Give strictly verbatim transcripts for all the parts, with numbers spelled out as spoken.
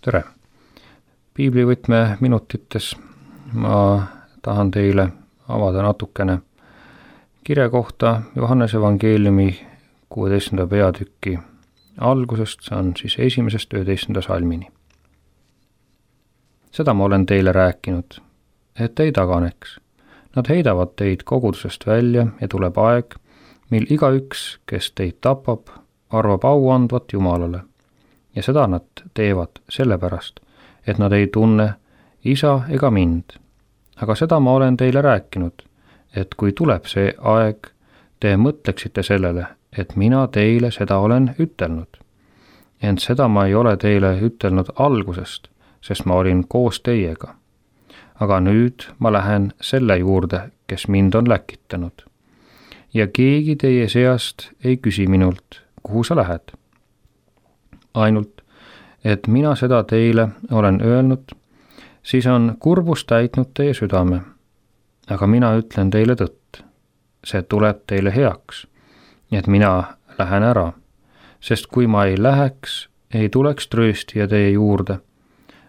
tere! Piiblivõtme minutites ma tahan teile avada natukene kirja kohta Johannese evangeeliumi kuueteistkümnenda peatüki algusest, see on siis esimesest üheteistkümnenda salmini. Seda ma olen teile rääkinud, et ei taganeks. Nad heidavad teid kogudusest välja ja tuleb aeg, mil igaüks, kes teid tapab, arvab au andvat Jumalale. Ja seda nad teevad sellepärast, et nad ei tunne isa ega mind. Aga seda ma olen teile rääkinud, et kui tuleb see aeg, te mõtleksite sellele, et mina teile seda olen ütelnud. Ent seda ma ei ole teile ütelnud algusest, sest ma olin koos teiega. Aga nüüd ma lähen selle juurde, kes mind on läkitanud. Ja keegi teie seast ei küsi minult, kuhu sa lähed. Ainult, et mina seda teile olen öelnud, siis on kurbus täitnud teie südame. Aga mina ütlen teile tõtt, see tuleb teile heaks, et mina lähen ära, sest kui ma ei läheks, ei tuleks trööstija teie juurde.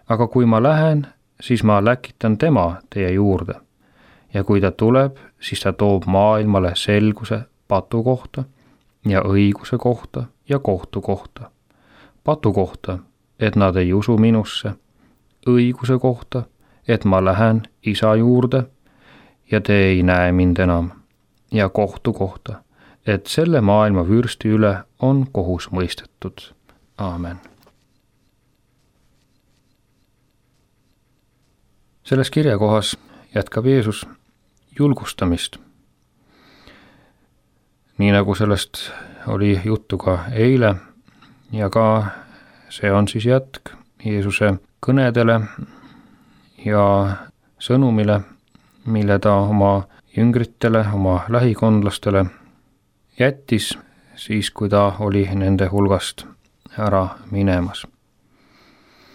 Aga kui ma lähen, siis ma läkitan tema teie juurde. Ja kui ta tuleb, siis ta toob maailmale selguse patu kohta ja õiguse kohta ja kohtu kohta. Patu kohta, et nad ei usu minusse, õiguse kohta, et ma lähen isa juurde ja te ei näe mind enam, ja kohtu kohta, et selle maailma vürsti üle on kohus mõistetud. Aamen. Selles kirjakohas jätkab Jeesus julgustamist. Nii nagu sellest oli juttu ka eile ja ka see on siis jätk Jeesuse kõnedele ja sõnumile, mille ta oma jüngritele, oma lähikondlastele jättis siis, kui ta oli nende hulgast ära minemas.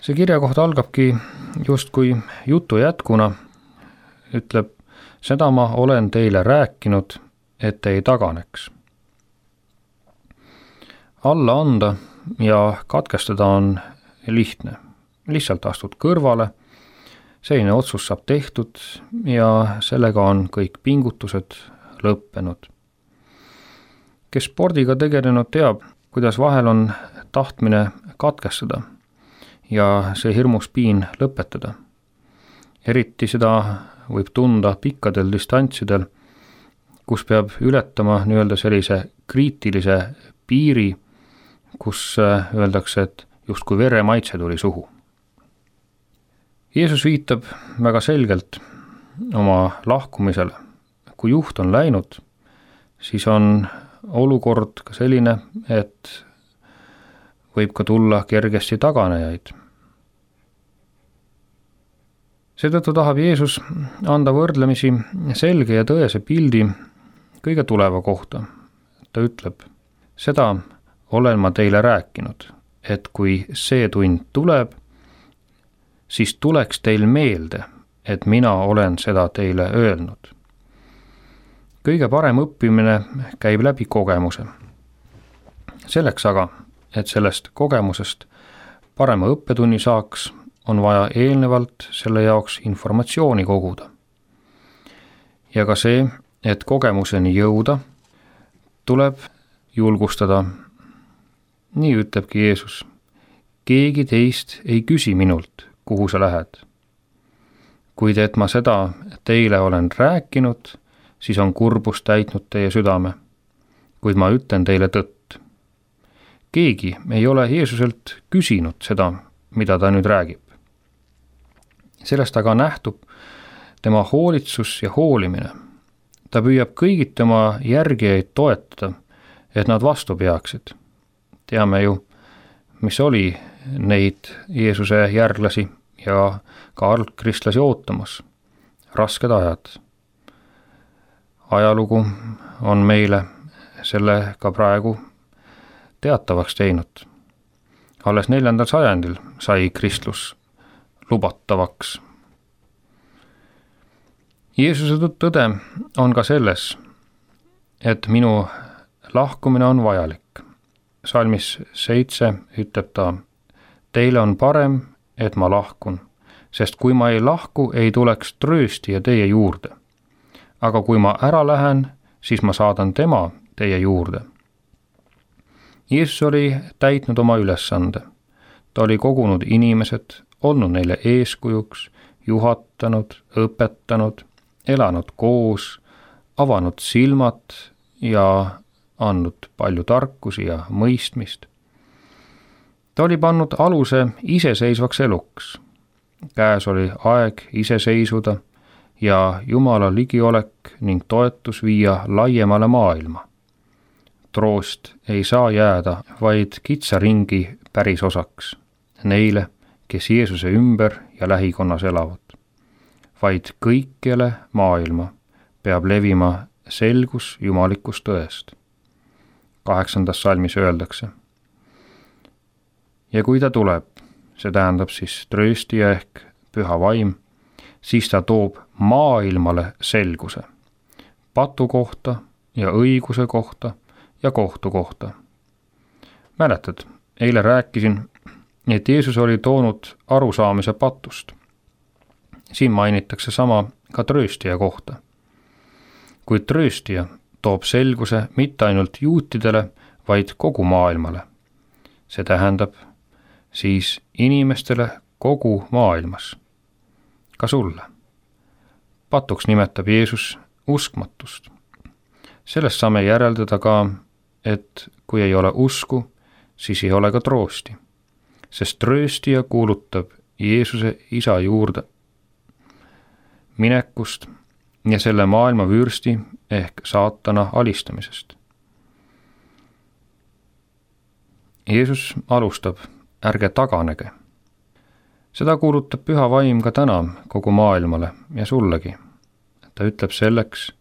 See kirjakoht algabki justkui jutu jätkuna, ütleb, seda ma olen teile rääkinud, et ei taganeks. Alla anda ja katkestada on lihtne. Lihtsalt astud kõrvale, selline otsus saab tehtud ja sellega on kõik pingutused lõppenud. Kes spordiga tegelenud teab, kuidas vahel on tahtmine katkestada ja see hirmus piin lõpetada. Eriti seda võib tunda pikkadel distantsidel, kus peab ületama nii-öelda sellise kriitilise piiri, kus öeldakse, et justkui vere maitse tuli suhu. Jeesus viitab väga selgelt oma lahkumisele. Kui juht on läinud, siis on olukord ka selline, et võib ka tulla kergesti taganejaid. Seetõttu tahab Jeesus anda võrdlemisi selge ja tõese pildi kõige tuleva kohta. Ta ütleb, seda olen ma teile rääkinud, et kui see tund tuleb, siis tuleks teil meelde, et mina olen seda teile öelnud. Kõige parem õppimine käib läbi kogemuse. Selleks aga, et sellest kogemusest parema õppetunni saaks, on vaja eelnevalt selle jaoks informatsiooni koguda. Ja ka see, et kogemuseni jõuda, tuleb julgustada. Nii ütlebki Jeesus, keegi teist ei küsi minult, kuhu sa lähed. Kuid et ma seda teile olen rääkinud, siis on kurbus täitnud teie südame, kuid ma ütlen teile tõtt. Keegi ei ole Jeesuselt küsinud seda, mida ta nüüd räägib. Sellest aga nähtub tema hoolitsus ja hoolimine. Ta püüab kõigit tema järgijaid toetada, et nad vastu peaksid. Teame ju, mis oli neid Jeesuse järglasi ja ka algkristlasi ootamas. Rasked ajad. Ajalugu on meile selle ka praegu teatavaks teinud. Alles neljandal sajandil sai kristlus lubatavaks. Jeesuse tõde on ka selles, et minu lahkumine on vajalik. Salmis seitse ütleb ta, teile on parem, et ma lahkun, sest kui ma ei lahku, ei tuleks trööstija teie juurde. Aga kui ma ära lähen, siis ma saadan tema teie juurde. Jeesus oli täitnud oma ülesande. Ta oli kogunud inimesed, olnud neile eeskujuks, juhatanud, õpetanud, elanud koos, avanud silmad ja andnud palju tarkusi ja mõistmist. Ta oli pannud aluse iseseisvaks eluks. Käes oli aeg iseseisuda ja Jumala ligiolek ning toetus viia laiemale maailma. Troost ei saa jääda vaid kitsa ringi pärisosaks, neile, kes Jeesuse ümber ja lähikonnas elavad, vaid kõikjale maailma peab levima selgus jumalikust tõest. Kaheksandas salmis öeldakse. Ja kui ta tuleb, see tähendab siis trööstija ehk püha vaim, siis ta toob maailmale selguse, patu kohta ja õiguse kohta ja kohtu kohta. Mäletad, eile rääkisin, et Jeesus oli toonud arusaamise patust. Siin mainitakse sama ka trööstija kohta. Kuid trööstija toob selguse mitte ainult juutidele, vaid kogu maailmale. See tähendab siis inimestele kogu maailmas, ka sulle. Patuks nimetab Jeesus uskmatust. Sellest saame järeldada ka, et kui ei ole usku, siis ei ole ka troosti, sest trööstija kuulutab Jeesuse isa juurde minekust ja selle maailma vürsti ehk saatana alistamisest. Jeesus alustab, ärge taganege. Seda kuulutab püha vaim ka täna kogu maailmale ja sullegi. Ta ütleb selleks,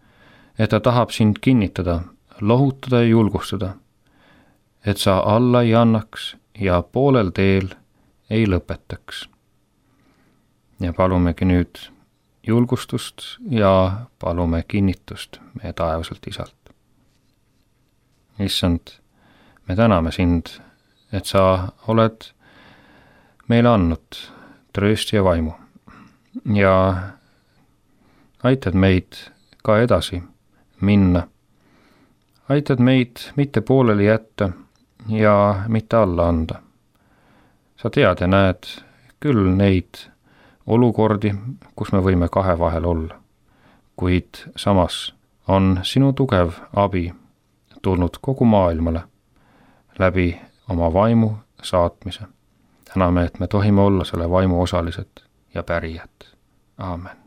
et ta tahab sind kinnitada, lohutada ja julgustada, et sa alla ei annaks ja poolel teel ei lõpetaks. Ja palumegi nüüd julgustust ja palume kinnitust meie taevaselt isalt. Issand, me täname sind, et sa oled meile andnud trööstija vaimu ja aitad meid ka edasi minna. Aitad meid mitte pooleli jätta ja mitte alla anda. Sa tead ja näed küll neid olukordi, kus me võime kahe vahel olla, kuid samas on sinu tugev abi tulnud kogu maailmale läbi oma vaimu saatmise. Täname, et me tohime olla selle vaimu osalised ja pärijad. Aamen.